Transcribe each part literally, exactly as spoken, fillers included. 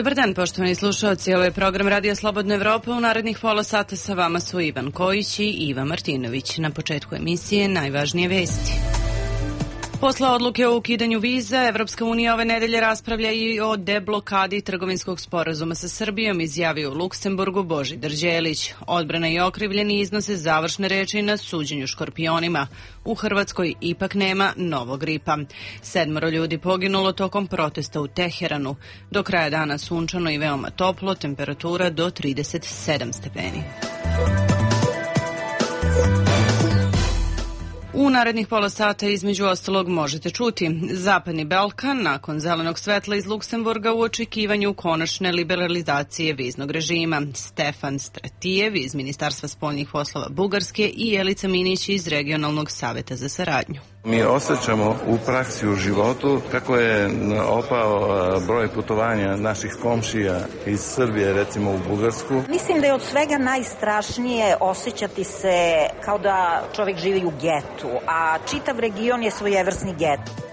Dobar dan, poštovani slušalci. Ovo je program Radio Slobodna Evropa. U narednih pola sata sa vama su Ivan Kojić i Iva Martinović. Na početku emisije najvažnije vesti. Posle odluke o ukidanju viza, Evropska unija ove nedelje raspravlja i o deblokadi trgovinskog sporazuma sa Srbijom, izjavio u Luksemburgu Božidar Đelić. Odbrana i okrivljeni iznose završne reči na suđenju škorpionima. U Hrvatskoj ipak nema novog gripa. Sedmoro ljudi poginulo tokom protesta u Teheranu. Do kraja dana sunčano i veoma toplo, temperatura do trideset sedam stepeni. U narednih pola sata između ostalog možete čuti Zapadni Balkan nakon zelenog svetla iz Luksemburga u očekivanju konačne liberalizacije viznog režima, Stefan Stratijev iz Ministarstva spoljnih poslova Bugarske i Jelica Minić iz Regionalnog saveta za saradnju. Mi osjećamo u praksi, u životu, kako je opao broj putovanja naših komšija iz Srbije, recimo u Bugarsku. Mislim da je od svega najstrašnije osjećati se kao da čovjek živi u getu, a čitav region je svojevrsni get.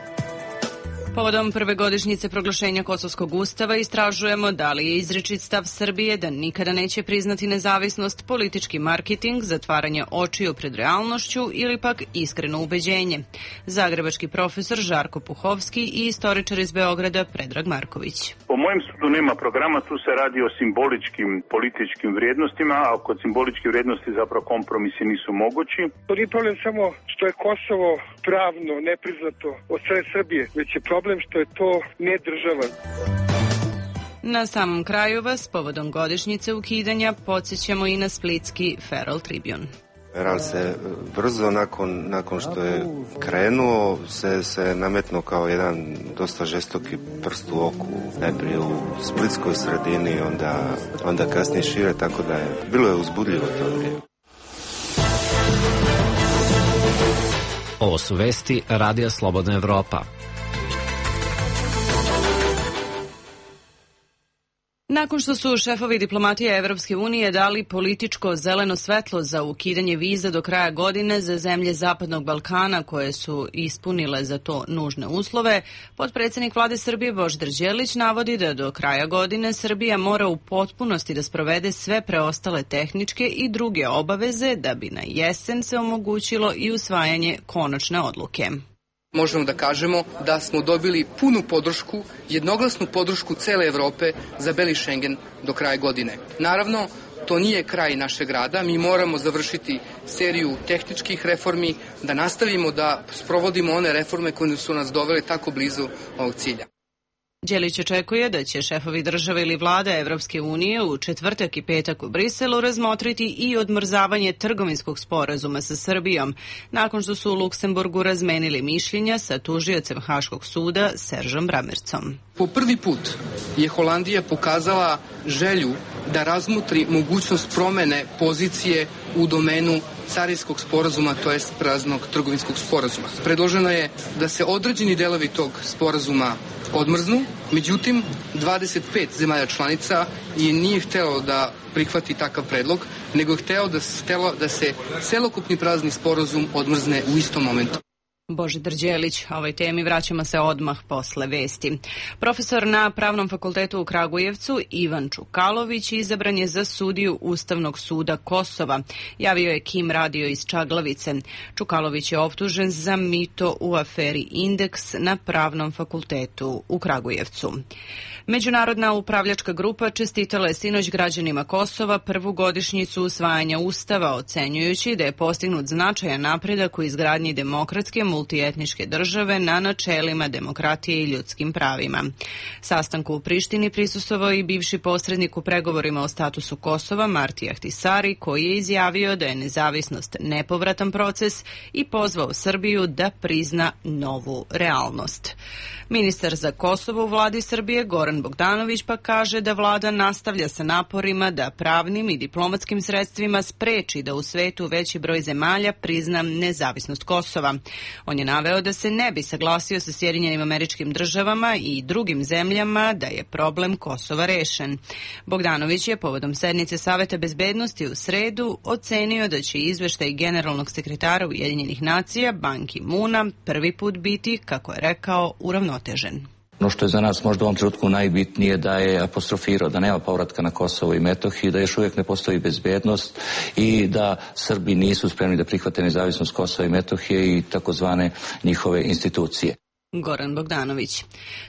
Povodom prve godišnjice proglašenja Kosovskog ustava istražujemo da li je izričit stav Srbije da nikada neće priznati nezavisnost, politički marketing, zatvaranje očiju pred realnošću ili pak iskreno ubeđenje. Zagrebački profesor Žarko Puhovski i istoričar iz Beograda Predrag Marković. Po mojem sudu nema programa, tu se radi o simboličkim političkim vrijednostima, a kod simboličkih vrijednosti zapravo kompromisi nisu mogući. To nije problem samo što je Kosovo pravno nepriznato od strane Srbije, već je problem što je to ne država. Na samom kraju vas, povodom godišnjice ukidanja, podsjećamo i na splitski Feral Tribune. Feral se brzo nakon, nakon što je krenuo se, se nametnuo kao jedan dosta žestoki prst u oku, najprije u splitskoj sredini, onda, onda kasnije šire, tako da je bilo je uzbudljivo to vrijeme. Ovo su vesti Radija Slobodna Evropa. Nakon što su šefovi diplomatije Evropske unije dali političko zeleno svetlo za ukidanje viza do kraja godine za zemlje Zapadnog Balkana koje su ispunile za to nužne uslove, potpredsjednik vlade Srbije Božidar Đelić navodi da do kraja godine Srbija mora u potpunosti da sprovede sve preostale tehničke i druge obaveze da bi na jesen se omogućilo i usvajanje konačne odluke. Možemo da kažemo da smo dobili punu podršku, jednoglasnu podršku cele Evrope za Beli Šengen do kraja godine. Naravno, to nije kraj našeg rada, mi moramo završiti seriju tehničkih reformi, da nastavimo da sprovodimo one reforme koje su nas dovele tako blizu ovog cilja. Đelić očekuje da će šefovi države ili vlada Evropske unije u četvrtak i petak u Briselu razmotriti i odmrzavanje trgovinskog sporazuma sa Srbijom, nakon što su u Luksemburgu razmenili mišljenja sa tužiocem Haškog suda Seržom Bramercom. Po prvi put je Holandija pokazala želju da razmotri mogućnost promene pozicije u domenu carinskog sporazuma, to jest praznog trgovinskog sporazuma. Predloženo je da se određeni delovi tog sporazuma odmrznu, međutim dvadeset pet zemalja članica je nije htelo da prihvati takav predlog, nego je htelo da, htelo da se celokupni prazni sporazum odmrzne u istom momentu. Božidar Đelić, ovoj temi vraćamo se odmah posle vesti. Profesor na Pravnom fakultetu u Kragujevcu Ivan Čukalović izabran je za sudiju Ustavnog suda Kosova, javio je Kim radio iz Čaglavice. Čukalović je optužen za mito u aferi Indeks na Pravnom fakultetu u Kragujevcu. Međunarodna upravljačka grupa čestitala je sinoć građanima Kosova prvu godišnjicu usvajanja Ustava, ocenjujući da je postignut značajan napredak u izgradnji demokratske multietničke države na načelima demokratije i ljudskim pravima. Sastanku u Prištini prisustvovao i bivši posrednik u pregovorima o statusu Kosova Marti Ahtisari, koji je izjavio da je nezavisnost nepovratan proces i pozvao Srbiju da prizna novu realnost. Ministar za Kosovo u vladi Srbije Goran Bogdanović pa kaže da vlada nastavlja sa naporima da pravnim i diplomatskim sredstvima spreči da u svetu veći broj zemalja prizna nezavisnost Kosova. On je naveo da se ne bi saglasio sa Sjedinjenim Američkim Državama i drugim zemljama da je problem Kosova rešen. Bogdanović je povodom sednice Saveta bezbednosti u sredu ocenio da će izveštaj generalnog sekretara Ujedinjenih nacija Ban Ki-moona prvi put biti, kako je rekao, uravnotežen. Ono što je za nas možda u ovom trenutku najbitnije da je apostrofirao da nema povratka na Kosovo i Metohiju, da još uvijek ne postoji bezbednost i da Srbi nisu spremni da prihvate nezavisnost Kosova i Metohije i takozvane njihove institucije. Goran Bogdanović.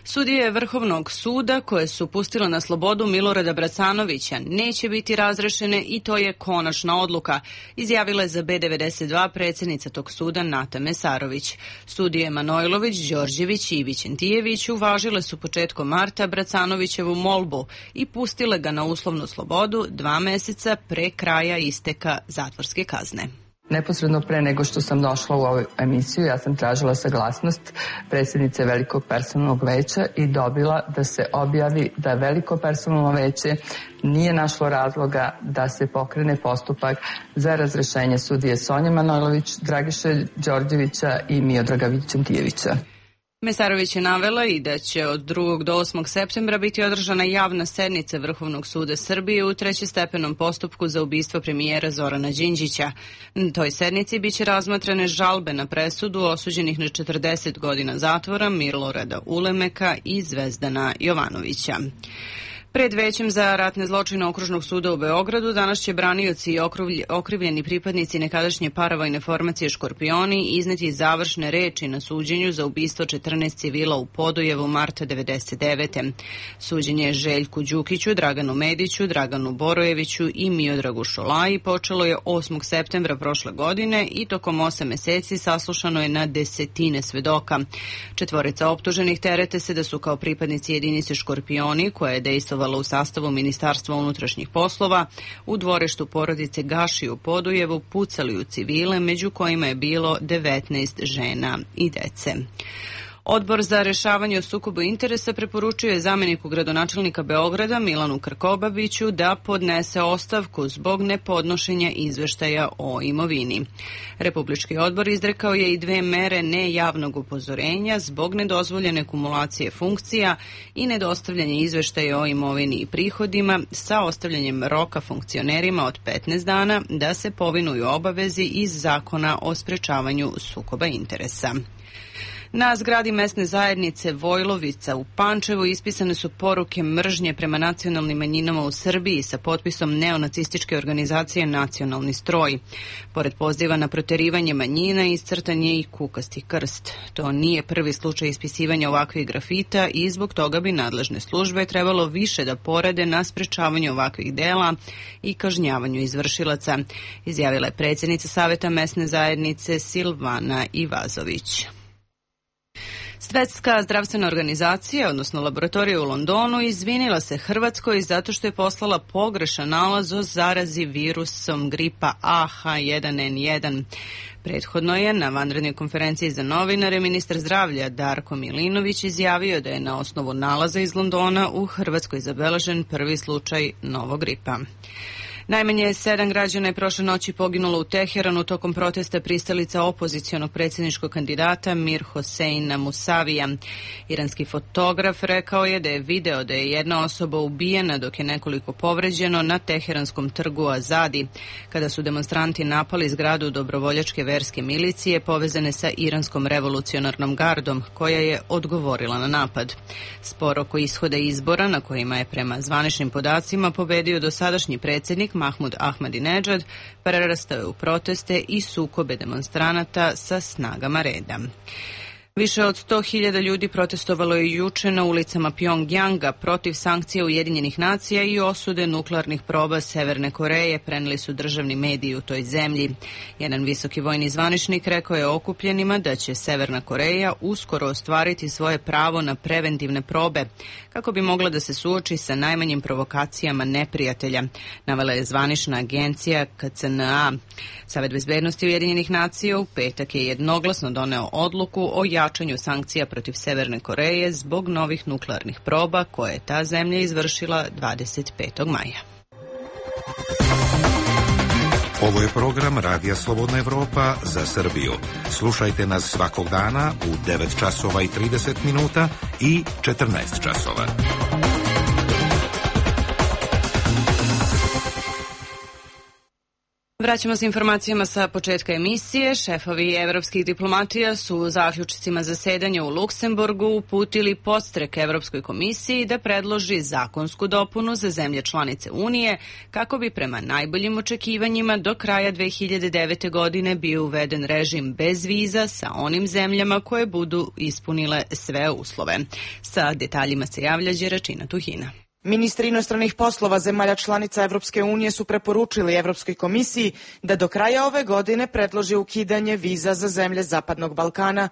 Sudije Vrhovnog suda koje su pustile na slobodu Milorada Bracanovića neće biti razrešene i to je konačna odluka, izjavila je za B devedeset dva predsjednica tog suda Nata Mesarović. Sudije Manojlović, Đorđević i Vićentijević uvažile su početkom marta Bracanovićevu molbu i pustile ga na uslovnu slobodu dva meseca pre kraja isteka zatvorske kazne. Neposredno pre nego što sam došla u ovu emisiju, ja sam tražila saglasnost predsjednice Velikog personalnog veća i dobila da se objavi da Veliko personalno veće nije našlo razloga da se pokrene postupak za razrešenje sudije Sonje Manojlović, Dragiše Đorđevića i Miodraga Vićentijevića. Mesarović je navela i da će od drugog do osmog septembra biti održana javna sednica Vrhovnog suda Srbije u trećestepenom postupku za ubistvo premijera Zorana Đinđića. Na toj sednici biće razmatrane žalbe na presudu osuđenih na četrdeset godina zatvora Milorada Ulemeka i Zvezdana Jovanovića. Pred većem za ratne zločine Okružnog suda u Beogradu danas će branioci i okrivljeni pripadnici nekadašnje paravojne formacije Škorpioni izneti završne reči na suđenju za ubistvo četrnaest civila u Podujevu marta devedeset devete. Suđenje je Željku Đukiću, Draganu Mediću, Draganu Borojeviću i Miodragu Šolaji počelo je osmog septembra prošle godine i tokom osam meseci saslušano je na desetine svedoka. Četvorica optuženih terete se da su kao pripadnici jedinice Škorpioni, koja je dejstvovala u sastavu Ministarstva unutrašnjih poslova, u dvorištu porodice Gaši u Podujevu pucali u civile, među kojima je bilo devetnaest žena i dece. Odbor za rešavanje o sukobu interesa preporučuje zamjeniku gradonačelnika Beograda Milanu Krkobabiću da podnese ostavku zbog nepodnošenja izveštaja o imovini. Republički odbor izrekao je i dve mere nejavnog upozorenja zbog nedozvoljene kumulacije funkcija i nedostavljanja izveštaja o imovini i prihodima sa ostavljanjem roka funkcionerima od petnaest dana da se povinuju obavezi iz Zakona o sprečavanju sukoba interesa. Na zgradi mesne zajednice Vojlovica u Pančevu ispisane su poruke mržnje prema nacionalnim manjinama u Srbiji sa potpisom neonacističke organizacije Nacionalni stroj. Pored poziva na proterivanje manjina iscrtan je i kukasti krst. To nije prvi slučaj ispisivanja ovakvih grafita i zbog toga bi nadležne službe trebalo više da porade na sprečavanju ovakvih dela i kažnjavanju izvršilaca, izjavila je predsjednica Saveta mesne zajednice Silvana Ivazović. Svetska zdravstvena organizacija, odnosno laboratorija u Londonu, izvinila se Hrvatskoj zato što je poslala pogrešan nalaz o zarazi virusom gripa A H jedan N jedan. Prethodno je na vanrednoj konferenciji za novinare ministar zdravlja Darko Milinović izjavio da je na osnovu nalaza iz Londona u Hrvatskoj zabeležen prvi slučaj novog gripa. Najmanje sedam građana je prošle noći poginulo u Teheranu tokom protesta pristalica opozicionog predsjedničkog kandidata Mir Hoseina Musavija. Iranski fotograf rekao je da je video da je jedna osoba ubijena dok je nekoliko povređeno na teheranskom trgu Azadi, kada su demonstranti napali zgradu dobrovoljačke verske milicije povezane sa iranskom revolucionarnom gardom, koja je odgovorila na napad. Spor oko ishoda izbora, na kojima je prema zvaničnim podacima pobedio dosadašnji predsjednik Mahmud Ahmadinejad, prerastao je u proteste i sukobe demonstranata sa snagama reda. Više od sto hiljada ljudi protestovalo je juče na ulicama Pjongjanga protiv sankcija Ujedinjenih nacija i osude nuklearnih proba Severne Koreje, preneli su državni mediji u toj zemlji. Jedan visoki vojni zvaničnik rekao je okupljenima da će Severna Koreja uskoro ostvariti svoje pravo na preventivne probe, kako bi mogla da se suoči sa najmanjim provokacijama neprijatelja, navela je zvanična agencija K C N A. Savet bezbednosti Ujedinjenih nacija u petak je jednoglasno doneo odluku o jačanju sankcija protiv Severne Koreje zbog novih nuklearnih proba koje je ta zemlja izvršila dvadeset petog maja. Ovo je program Radija Slobodna Evropa za Srbiju. Slušajte nas svakog dana u devet časova i trideset minuta i četrnaest časova. Vraćamo se informacijama sa početka emisije. Šefovi evropskih diplomatija su u zaključcima zasedanja u Luksemburgu uputili podstrek Evropskoj komisiji da predloži zakonsku dopunu za zemlje članice Unije kako bi prema najboljim očekivanjima do kraja dve hiljade devete. godine bio uveden režim bez viza sa onim zemljama koje budu ispunile sve uslove. Sa detaljima se javlja Đeračina Tuhina. Ministri inostranih poslova zemalja članica Evropske unije su preporučili Evropskoj komisiji da do kraja ove godine predloži ukidanje viza za zemlje Zapadnog Balkana.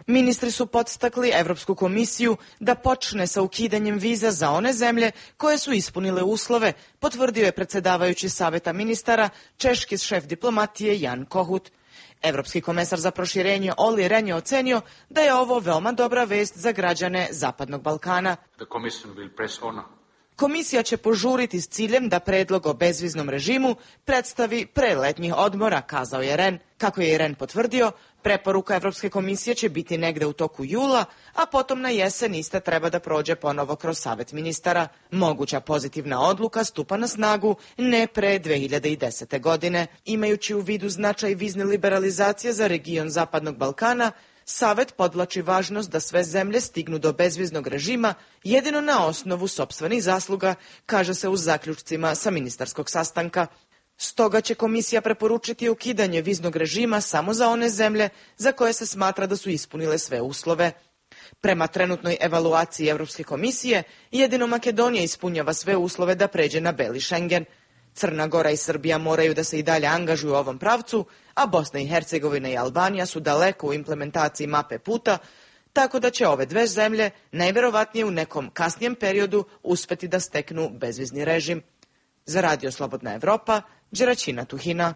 Ministri su podstakli Evropsku komisiju da počne sa ukidanjem viza za one zemlje koje su ispunile uslove, potvrdio je predsjedavajući Saveta ministara, češki šef diplomatije Jan Kohut. Evropski komesar za proširenje Olli Rehn je ocenio da je ovo veoma dobra vest za građane Zapadnog Balkana. Komisija će požuriti s ciljem da predlog o bezviznom režimu predstavi pre letnjih odmora, kazao je Rehn. Kako je Rehn potvrdio, preporuka Evropske komisije će biti negde u toku jula, a potom na jesen ista treba da prođe ponovo kroz Savet ministara. Moguća pozitivna odluka stupa na snagu ne pre dve hiljade desete. godine. Imajući u vidu značaj vizne liberalizacije za region Zapadnog Balkana, Savet podvlači važnost da sve zemlje stignu do bezviznog režima jedino na osnovu sopstvenih zasluga, kaže se u zaključcima sa ministarskog sastanka. Stoga će komisija preporučiti ukidanje viznog režima samo za one zemlje za koje se smatra da su ispunile sve uslove. Prema trenutnoj evaluaciji Evropske komisije, jedino Makedonija ispunjava sve uslove da pređe na beli Schengen. Crna Gora i Srbija moraju da se i dalje angažuju u ovom pravcu, a Bosna i Hercegovina i Albanija su daleko u implementaciji mape puta, tako da će ove dve zemlje najverovatnije u nekom kasnijem periodu uspeti da steknu bezvizni režim. Za Radio Slobodna Evropa, Đeračina Tuhina.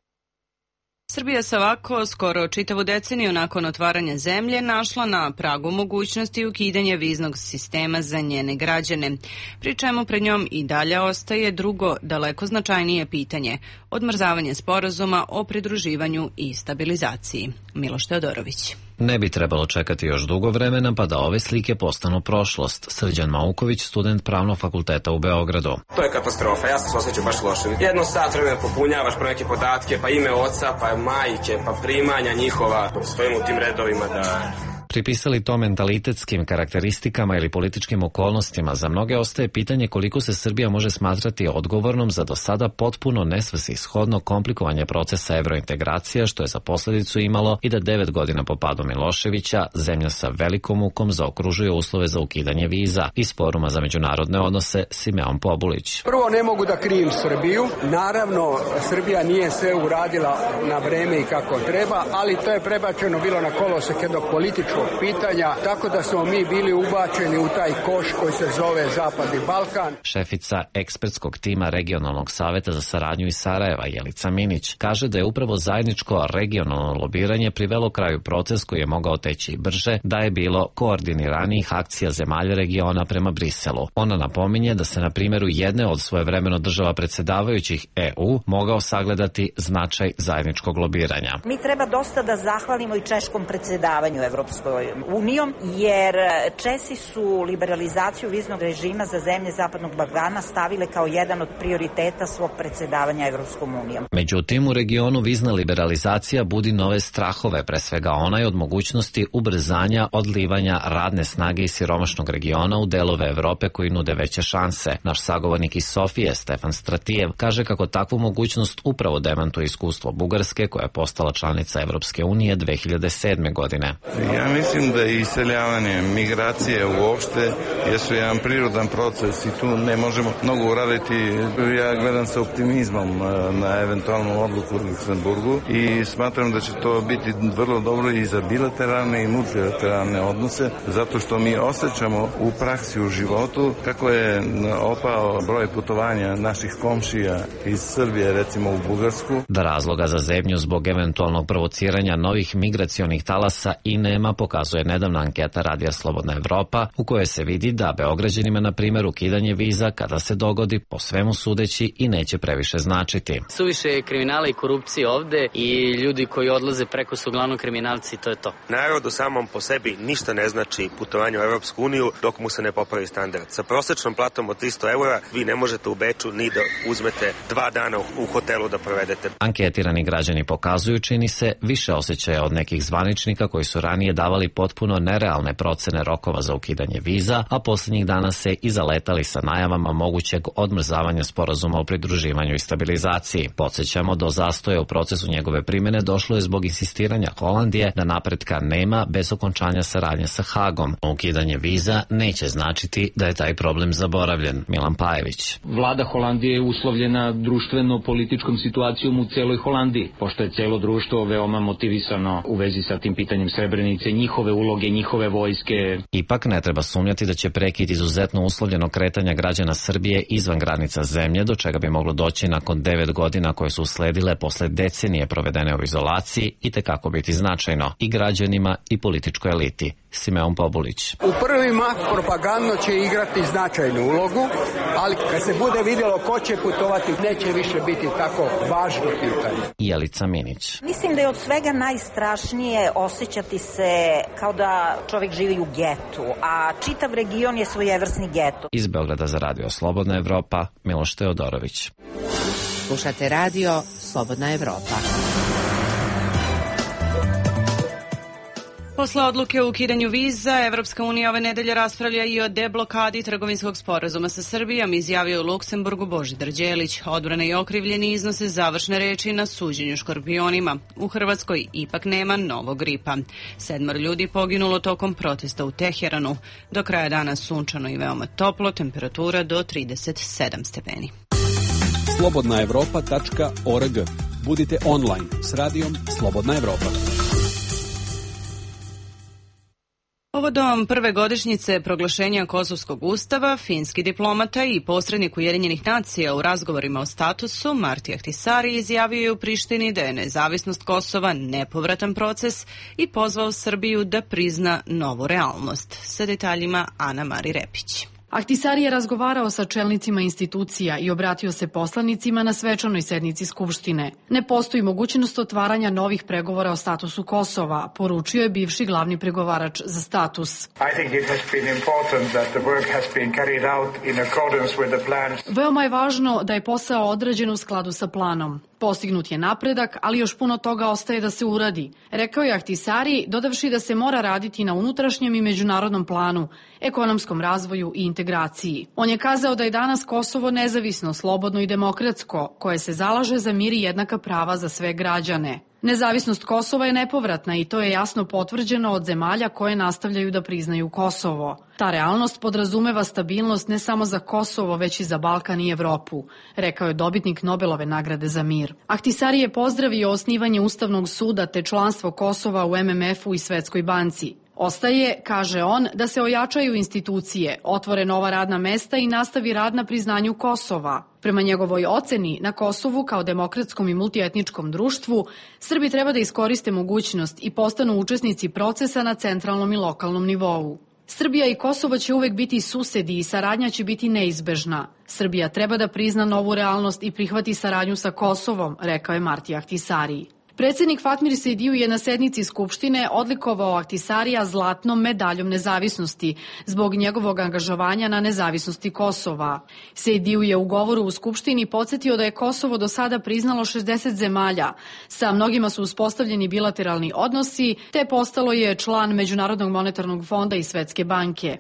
Srbija se ovako skoro čitavu deceniju nakon otvaranja zemlje našla na pragu mogućnosti ukidanja viznog sistema za njene građane, pri čemu pred njom i dalje ostaje drugo, daleko značajnije pitanje – odmrzavanje sporazuma o pridruživanju i stabilizaciji. Miloš Teodorović. Ne bi trebalo čekati još dugo vremena pa da ove slike postanu prošlost. Srđan Mauković, student Pravnog fakulteta u Beogradu. To je katastrofa, ja sam se osjećao baš loše. Jedno sat vremena popunjavaš pro neke podatke, pa ime oca, pa majke, pa primanja njihova. Stojimo u tim redovima da... Pripisali to mentalitetskim karakteristikama ili političkim okolnostima, za mnoge ostaje pitanje koliko se Srbija može smatrati odgovornom za do sada potpuno nesvrsishodno komplikovanje procesa evrointegracija, što je za posledicu imalo i da devet godina po padu Miloševića zemlja sa velikom mukom zaokružuje uslove za ukidanje viza. Iz Foruma za međunarodne odnose Simeon Pobulić. Prvo, ne mogu da krivim Srbiju. Naravno, Srbija nije sve uradila na vreme i kako treba, ali to je prebačeno bilo na kolosek jednog političkog pitanja, tako da smo mi bili ubačeni u taj koš koji se zove Zapadni Balkan. Šefica ekspertskog tima Regionalnog saveta za saradnju iz Sarajeva, Jelica Minić, kaže da je upravo zajedničko regionalno lobiranje privelo kraju proces koji je mogao teći brže da je bilo koordiniranijih akcija zemalja regiona prema Briselu. Ona napominje da se na primjeru jedne od svojevremeno država predsjedavajućih E U mogao sagledati značaj zajedničkog lobiranja. Mi treba dosta da zahvalimo i češkom predsjedavanju Evropskoj unijom, jer Česi su liberalizaciju viznog režima za zemlje Zapadnog Balkana stavile kao jedan od prioriteta svog predsjedavanja Evropskom unijom. Međutim, u regionu vizna liberalizacija budi nove strahove, pre svega onaj od mogućnosti ubrzanja odlivanja radne snage iz siromašnog regiona u delove Evrope koji nude veće šanse. Naš sagovornik iz Sofije, Stefan Stratijev, kaže kako takvu mogućnost upravo demantuje iskustvo Bugarske, koja je postala članica Evropske unije dve hiljade sedme. godine. Ja mislim da je iseljavanje, migracije uopšte jesu jedan prirodan proces i tu ne možemo mnogo uraditi. Ja gledam sa optimizmom na eventualnu odluku u Luksemburgu i smatram da će to biti vrlo dobro i za bilateralne i multilateralne odnose, zato što mi osjećamo u praksi, u životu, kako je opao broj putovanja naših komšija iz Srbije, recimo u Bugarsku. Da razloga za zebnju zbog eventualnog provociranja novih migracionih talasa i nema, pokazuje nedavna anketa Radija Slobodna Evropa, u kojoj se vidi i da Beograđanima, na primjer, ukidanje viza kada se dogodi, po svemu sudeći, i neće previše značiti. Suviše je kriminala i korupcije ovde i ljudi koji odlaze preko su uglavnom kriminalci, to je to. Narodu samom po sebi ništa ne znači putovanje u Evropsku uniju dok mu se ne popravi standard. Sa prosečnom platom od tristo eura vi ne možete u Beču ni da uzmete dva dana u hotelu da provedete. Anketirani građani pokazuju, čini se, više osjećaja od nekih zvaničnika koji su ranije davali potpuno nerealne procene rokova za ukidanje viza, a posljednjih dana se i zaletali sa najavama mogućeg odmrzavanja sporazuma o pridruživanju i stabilizaciji. Podsjećamo, do zastoja u procesu njegove primjene došlo je zbog insistiranja Holandije da napretka nema bez okončanja saradnje sa Hagom. Ukidanje viza neće značiti da je taj problem zaboravljen. Milan Pajević. Vlada Holandije je uslovljena društveno-političkom situacijom u celoj Holandiji, pošto je celo društvo veoma motivisano u vezi sa tim pitanjem Srebrenice, njihove uloge, njihove vojske. Ipak ne treba sumnjati da će prekid izuzetno uslovljeno kretanja građana Srbije izvan granica zemlje, do čega bi moglo doći nakon devet godina koje su usledile posle decenije provedene u izolaciji, i tekako biti značajno i građanima i političkoj eliti. Simeon Pobulić. U prvi mah propagandno će igrati značajnu ulogu, ali kad se bude vidjelo ko će putovati, neće više biti tako važno pitanje. Jelica Minić. Mislim da je od svega najstrašnije osjećati se kao da čovjek živi u getu, a čitav region je svojevrsni geto. Iz Beograda za Radio Slobodna Evropa, Miloš Teodorović. Slušate radio Slobodna Evropa. Posle odluke o ukidanju viza, Evropska unija ove nedelje raspravlja i o deblokadi trgovinskog sporazuma sa Srbijom, izjavio u Luksemburgu Božidar Đelić. Odbrane i okrivljeni iznose završne reči na suđenju škorpionima. U Hrvatskoj ipak nema novog gripa. Sedmor ljudi poginulo tokom protesta u Teheranu. Do kraja dana sunčano i veoma toplo, temperatura do trideset sedam stepeni. slobodna evropa tačka org. Budite online s radijom Slobodna Evropa. Povodom prve godišnjice proglašenja Kosovskog ustava, finski diplomata i posrednik Ujedinjenih nacija u razgovorima o statusu Marti Ahtisari izjavio je u Prištini da je nezavisnost Kosova nepovratan proces i pozvao Srbiju da prizna novu realnost. Sa detaljima Ana Mari Repić. Ahtisari je razgovarao sa čelnicima institucija i obratio se poslanicima na svečanoj sednici Skupštine. Ne postoji mogućnost otvaranja novih pregovora o statusu Kosova, poručio je bivši glavni pregovarač za status. Veoma je važno da je posao odrađen u skladu sa planom. Postignut je napredak, ali još puno toga ostaje da se uradi, rekao je Ahtisari, dodavši da se mora raditi na unutrašnjem i međunarodnom planu, ekonomskom razvoju i integraciji. On je kazao da je danas Kosovo nezavisno, slobodno i demokratsko, koje se zalaže za mir i jednaka prava za sve građane. Nezavisnost Kosova je nepovratna i to je jasno potvrđeno od zemalja koje nastavljaju da priznaju Kosovo. Ta realnost podrazumeva stabilnost ne samo za Kosovo, već i za Balkan i Evropu, rekao je dobitnik Nobelove nagrade za mir. Ahtisari je pozdravio osnivanje Ustavnog suda te članstvo Kosova u em em efu i Svetskoj banci. Ostaje, kaže on, da se ojačaju institucije, otvore nova radna mesta i nastavi rad na priznanju Kosova. Prema njegovoj oceni, na Kosovu kao demokratskom i multietničkom društvu, Srbi treba da iskoriste mogućnost i postanu učesnici procesa na centralnom i lokalnom nivou. Srbija i Kosovo će uvek biti susedi i saradnja će biti neizbežna. Srbija treba da prizna novu realnost i prihvati saradnju sa Kosovom, rekao je Marti Ahtisari. Predsjednik Fatmir Sejdiju je na sednici Skupštine odlikovao Ahtisarija zlatnom medaljom nezavisnosti zbog njegovog angažovanja na nezavisnosti Kosova. Sejdiju je u govoru u Skupštini podsjetio da je Kosovo do sada priznalo šezdeset zemalja. Sa mnogima su uspostavljeni bilateralni odnosi, te postalo je član Međunarodnog monetarnog fonda i Svetske banke.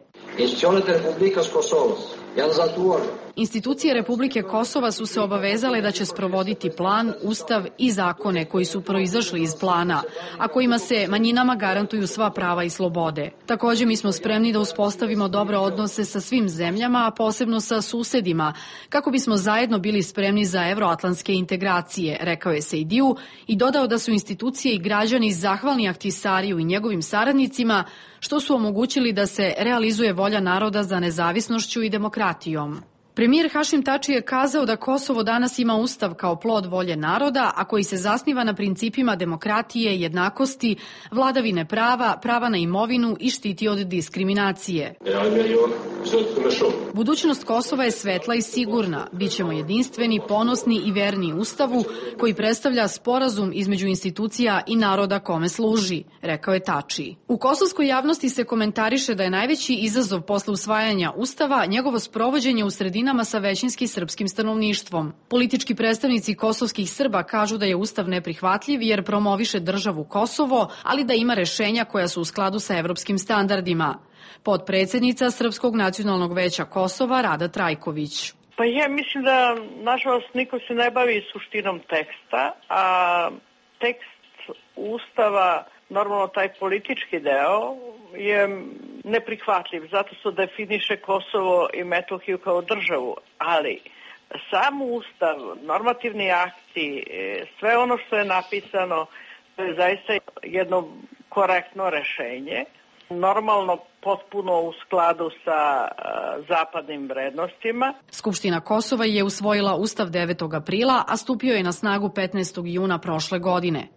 Institucije Republike Kosova su se obavezale da će sprovoditi plan, ustav i zakone koji su proizašli iz plana, a kojima se manjinama garantuju sva prava i slobode. Također mi smo spremni da uspostavimo dobre odnose sa svim zemljama, a posebno sa susedima, kako bismo zajedno bili spremni za evroatlantske integracije, rekao je Sejdiju i dodao da su institucije i građani zahvalni Ahtisariju i njegovim saradnicima što su omogućili da se realizuje volja naroda za nezavisnošću i demokratijom. Premijer Hašim Tači je kazao da Kosovo danas ima ustav kao plod volje naroda, a koji se zasniva na principima demokratije, jednakosti, vladavine prava, prava na imovinu i štiti od diskriminacije. Budućnost Kosova je svetla i sigurna. Bićemo jedinstveni, ponosni i verni Ustavu koji predstavlja sporazum između institucija i naroda kome služi, rekao je Tači. U kosovskoj javnosti se komentariše da je najveći izazov posle usvajanja Ustava njegovo sprovođenje u sredinama sa većinski srpskim stanovništvom. Politički predstavnici kosovskih Srba kažu da je Ustav neprihvatljiv jer promoviše državu Kosovo, ali da ima rešenja koja su u skladu sa evropskim standardima. Potpredsednica Srpskog nacionalnog veća Kosova Rada Trajković. Pa ja mislim da, nažalost, niko se ne bavi suštinom teksta, a tekst Ustava, normalno taj politički deo, je neprihvatljiv. Zato se definiše Kosovo i Metohiju kao državu, ali sam Ustav, normativni akti, sve ono što je napisano, to je zaista jedno korektno rešenje. Normalno, potpuno u skladu sa uh, zapadnim vrednostima. Skupština Kosova je usvojila Ustav devetog aprila, a stupio je na snagu petnaestog juna prošle godine.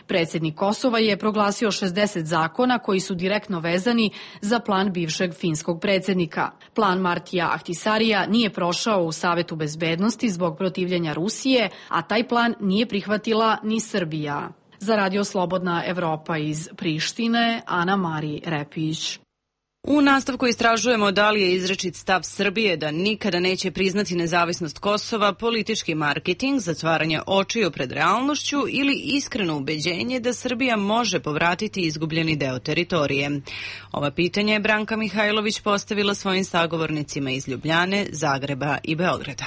Predsjednik Kosova je proglasio šezdeset zakona koji su direktno vezani za plan bivšeg finskog predsjednika. Plan Martija Ahtisarija nije prošao u Savetu bezbednosti zbog protivljenja Rusije, a taj plan nije prihvatila ni Srbija. Za Radio Slobodna Evropa iz Prištine, Ana Mari Repić. U nastavku istražujemo da li je izrečit stav Srbije da nikada neće priznati nezavisnost Kosova politički marketing, zatvaranje očiju pred realnošću ili iskreno ubeđenje da Srbija može povratiti izgubljeni deo teritorije. Ova pitanja je Branka Mihajlović postavila svojim sagovornicima iz Ljubljane, Zagreba i Beograda.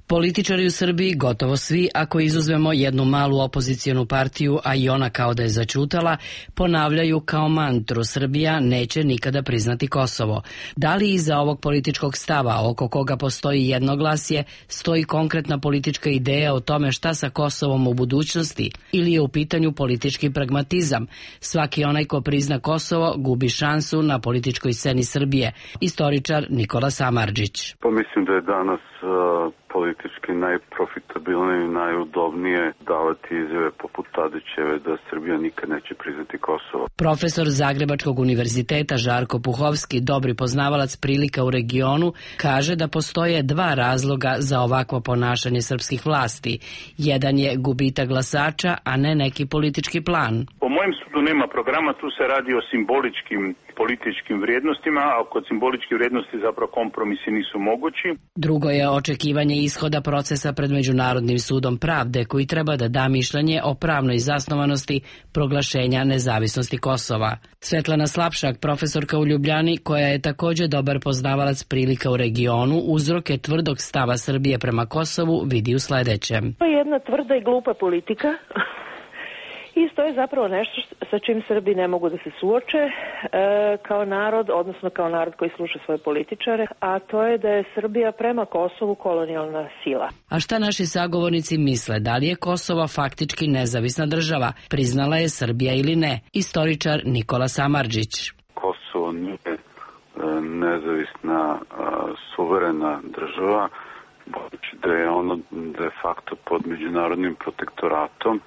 Političari u Srbiji, gotovo svi, ako izuzmemo jednu malu opozicijonu partiju, a i ona kao da je zaćutala, ponavljaju kao mantru: Srbija neće nikada priznati Kosovo. Da li iza ovog političkog stava, oko koga postoji jednoglasje, stoji konkretna politička ideja o tome šta sa Kosovom u budućnosti, ili je u pitanju politički pragmatizam? Svaki onaj ko prizna Kosovo gubi šansu na političkoj sceni Srbije. Istoričar Nikola Samardžić. Pa mislim da je danas uh... politički najprofitabilnije i najudobnije davati izjave poput Tadićeve da Srbija nikad neće priznati Kosovo. Profesor Zagrebačkog univerziteta Žarko Puhovski, dobri poznavalac prilika u regionu, kaže da postoje dva razloga za ovakvo ponašanje srpskih vlasti. Jedan je gubitak glasača, a ne neki politički plan. Po mojem sudu nema programa, tu se radi o simboličkim političkim vrijednostima, a kod simboličkih vrijednosti zapravo kompromisi nisu mogući. Drugo je očekivanje ishoda procesa pred Međunarodnim sudom pravde, koji treba da da mišljenje o pravnoj zasnovanosti proglašenja nezavisnosti Kosova. Svetlana Slapšak, profesorka u Ljubljani, koja je također dobar poznavalac prilika u regionu, uzroke tvrdog stava Srbije prema Kosovu vidi u sledećem. To je jedna tvrda i glupa politika. I to je zapravo nešto sa čim Srbi ne mogu da se suoče e, kao narod, odnosno kao narod koji sluša svoje političare, a to je da je Srbija prema Kosovu kolonijalna sila. A šta naši sagovornici misle? Da li je Kosovo faktički nezavisna država? Priznala je Srbija ili ne? Istoričar Nikola Samardžić. Kosovo nije e, nezavisna, e, suverena država, budući da je ono de facto pod međunarodnim protektoratom.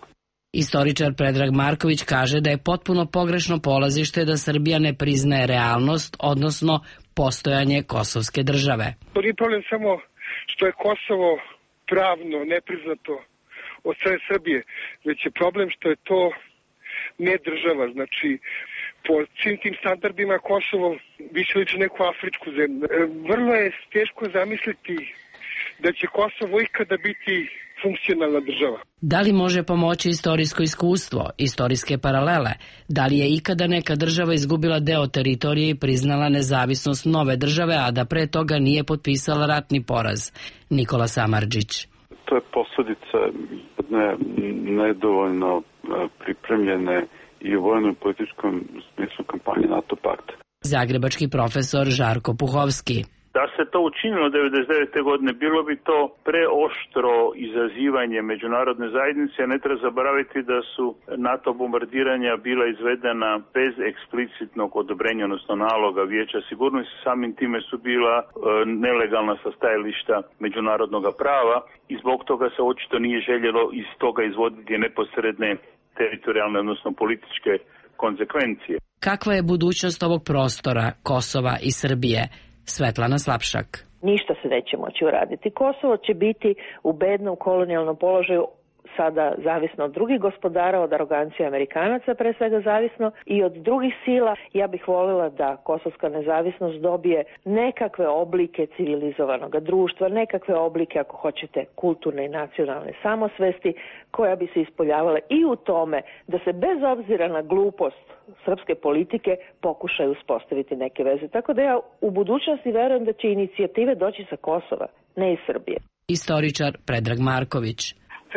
Istoričar Predrag Marković kaže da je potpuno pogrešno polazište da Srbija ne priznaje realnost, odnosno postojanje kosovske države. To nije problem samo što je Kosovo pravno nepriznato od strane Srbije, već je problem što je to ne država. Znači, po svim tim standardima Kosovo više liči neku afričku zemlju. Vrlo je teško zamisliti da će Kosovo ikada biti funkcionalna država. Da li može pomoći istorijsko iskustvo, istorijske paralele? Da li je ikada neka država izgubila deo teritorije i priznala nezavisnost nove države, a da pre toga nije potpisala ratni poraz? Nikola Samardžić. To je posljedica jedne nedovoljno pripremljene i u vojnom i političkom smislu kampanje NATO pakta. Zagrebački profesor Žarko Puhovski. Da se to učinilo devedeset devete godine, bilo bi to preoštro izazivanje međunarodne zajednice. Ne treba zaboraviti da su NATO bombardiranja bila izvedena bez eksplicitnog odobrenja, odnosno naloga Vijeća sigurnosti. Samim time su bila e, nelegalna sa stajališta međunarodnog prava i zbog toga se očito nije željelo iz toga izvoditi neposredne teritorijalne, odnosno političke konsekvencije. Kakva je budućnost ovog prostora, Kosova i Srbije? Svetlana Slapšak. Ništa se neće moći uraditi. Kosovo će biti u bednom kolonijalnom položaju, sada zavisno od drugih gospodara, od arogancije Amerikanaca pre svega zavisno i od drugih sila. Ja bih voljela da kosovska nezavisnost dobije nekakve oblike civilizovanog društva, nekakve oblike, ako hoćete, kulturne i nacionalne samosvesti, koja bi se ispoljavale i u tome da se bez obzira na glupost srpske politike pokušaju uspostaviti neke veze. Tako da ja u budućnosti verujem da će inicijative doći sa Kosova, ne iz Srbije. Istoričar Predrag Marković.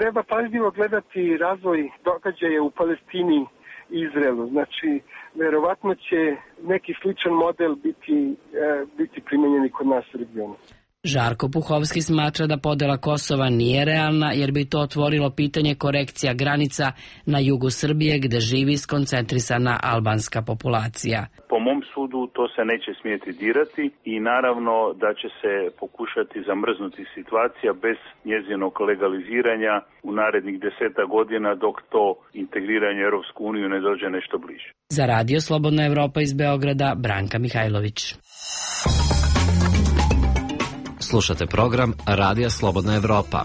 Treba pažljivo gledati razvoj događaja u Palestini i Izraelu. Znači, verovatno će neki sličan model biti, e, biti primenjeni kod nas u regionu. Žarko Puhovski smatra da podela Kosova nije realna jer bi to otvorilo pitanje korekcija granica na jugu Srbije gde živi skoncentrisana albanska populacija. Po mom sudu to se neće smjeti dirati i naravno da će se pokušati zamrznuti situacija bez njezinog legaliziranja u narednih deseta godina dok to integriranje u Europsku uniju ne dođe nešto bliže. Za Radio Slobodna Evropa iz Beograda, Branka Mihajlović. Slušate program Radija Slobodna Evropa.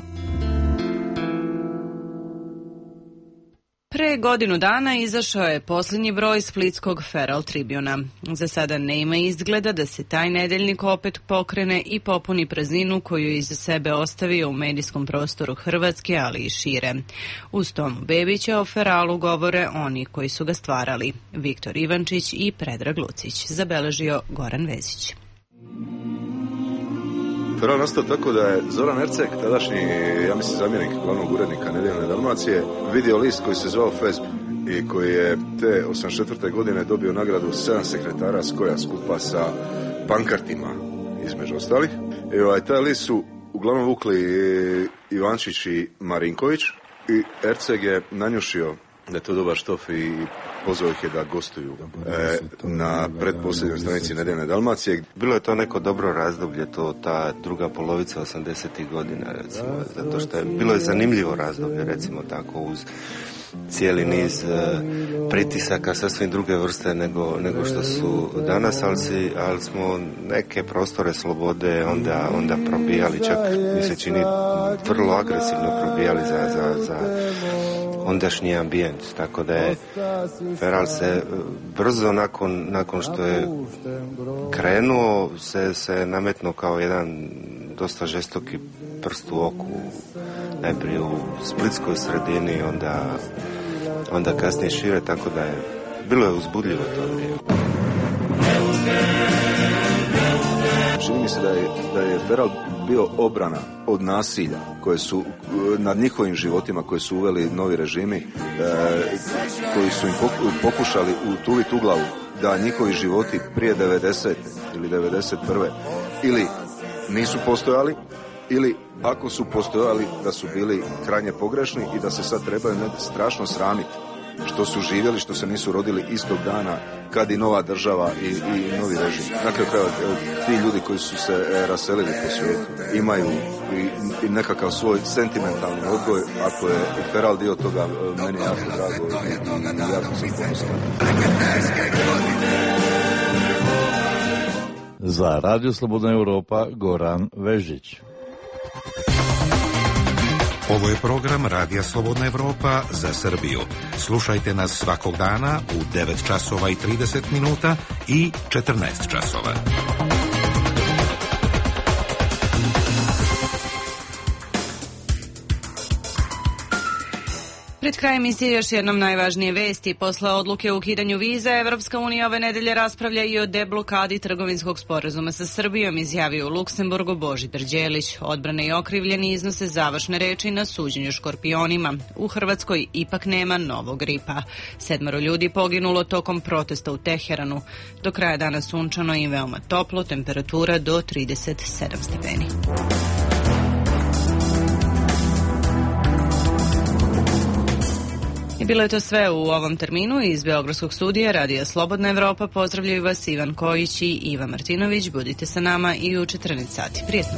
Pre godinu dana izašao je posljednji broj splitskog Feral Tribuna. Za sada nema izgleda da se taj nedeljnik opet pokrene i popuni prazninu koju iza sebe ostavio u medijskom prostoru Hrvatske, ali i šire. Uz Tomu Bebića o Feralu govore oni koji su ga stvarali. Viktor Ivančić i Predrag Lucić, zabeležio Goran Vezić. Feral nastao tako da je Zoran Erceg, tadašnji, ja mislim, zamjenik glavnog urednika Nedjeljne Dalmacije, vidio list koji se zvao F E S B i koji je te osamdeset četvrte godine dobio nagradu sedam sekretara Skoja skupa sa pankartima, između ostalih. I ovaj, taj list su uglavnom vukli Ivančić i Marinković i Erceg je nanjušio da je to dobar štof i pozvao ih je da gostuju e, na pretposljednjoj stranici Nedjeljne Dalmacije. Bilo je to neko dobro razdoblje, to ta druga polovica osamdesetih godina, recimo, zato što je bilo je zanimljivo razdoblje, recimo tako, uz cijeli niz e, pritisaka sasvim druge vrste nego, nego što su danas, ali, si, ali smo neke prostore slobode onda, onda probijali, čak mi se čini vrlo agresivno probijali za, za, za ondašnji ambijent, tako da je Feral se brzo nakon, nakon što je krenuo se, se nametnuo kao jedan dosta žestoki prst u oku, najprije u splitskoj sredini, onda, onda kasnije šire, tako da je bilo je uzbudljivo to vrijeme. Čini mi se da je, da je Feral bio obrana od nasilja koje su nad njihovim životima koje su uveli novi režimi, e, koji su im pokušali utuviti u glavu da njihovi životi prije devedesete ili devedeset prve ili nisu postojali, ili ako su postojali da su bili krajnje pogrešni i da se sad trebaju strašno sramiti što su živjeli, što se nisu rodili istog dana kad i nova država i, i novi režim. Dakle, ti ljudi koji su se raselili po svijetu imaju i, i nekakav svoj sentimentalni odgoj. Ako je Feral dio toga, meni je jako drago i, i jako sam ponosan. Za Radio Slobodna Evropa, Goran Vežić. Ovo je program Radija Slobodna Evropa za Srbiju. Slušajte nas svakog dana u devet časova i trideset minuta i četrnaest časova. Pred krajem emisije još jednom najvažnije vesti. Posle odluke o ukidanju viza, Evropska unija ove nedelje raspravlja i o deblokadi trgovinskog sporazuma sa Srbijom, izjavio u Luksemburgu Božidar Đelić. Odbrane i okrivljeni iznose završne reči na suđenju škorpionima. U Hrvatskoj ipak nema novog gripa. Sedmoro ljudi poginulo tokom protesta u Teheranu. Do kraja dana sunčano i veoma toplo, temperatura do trideset sedam stepeni. I bilo je to sve u ovom terminu. Iz Beogradskog studija Radija Slobodna Evropa pozdravljaju vas Ivan Kojić i Iva Martinović. Budite sa nama i u četrnaest sati. Prijetno.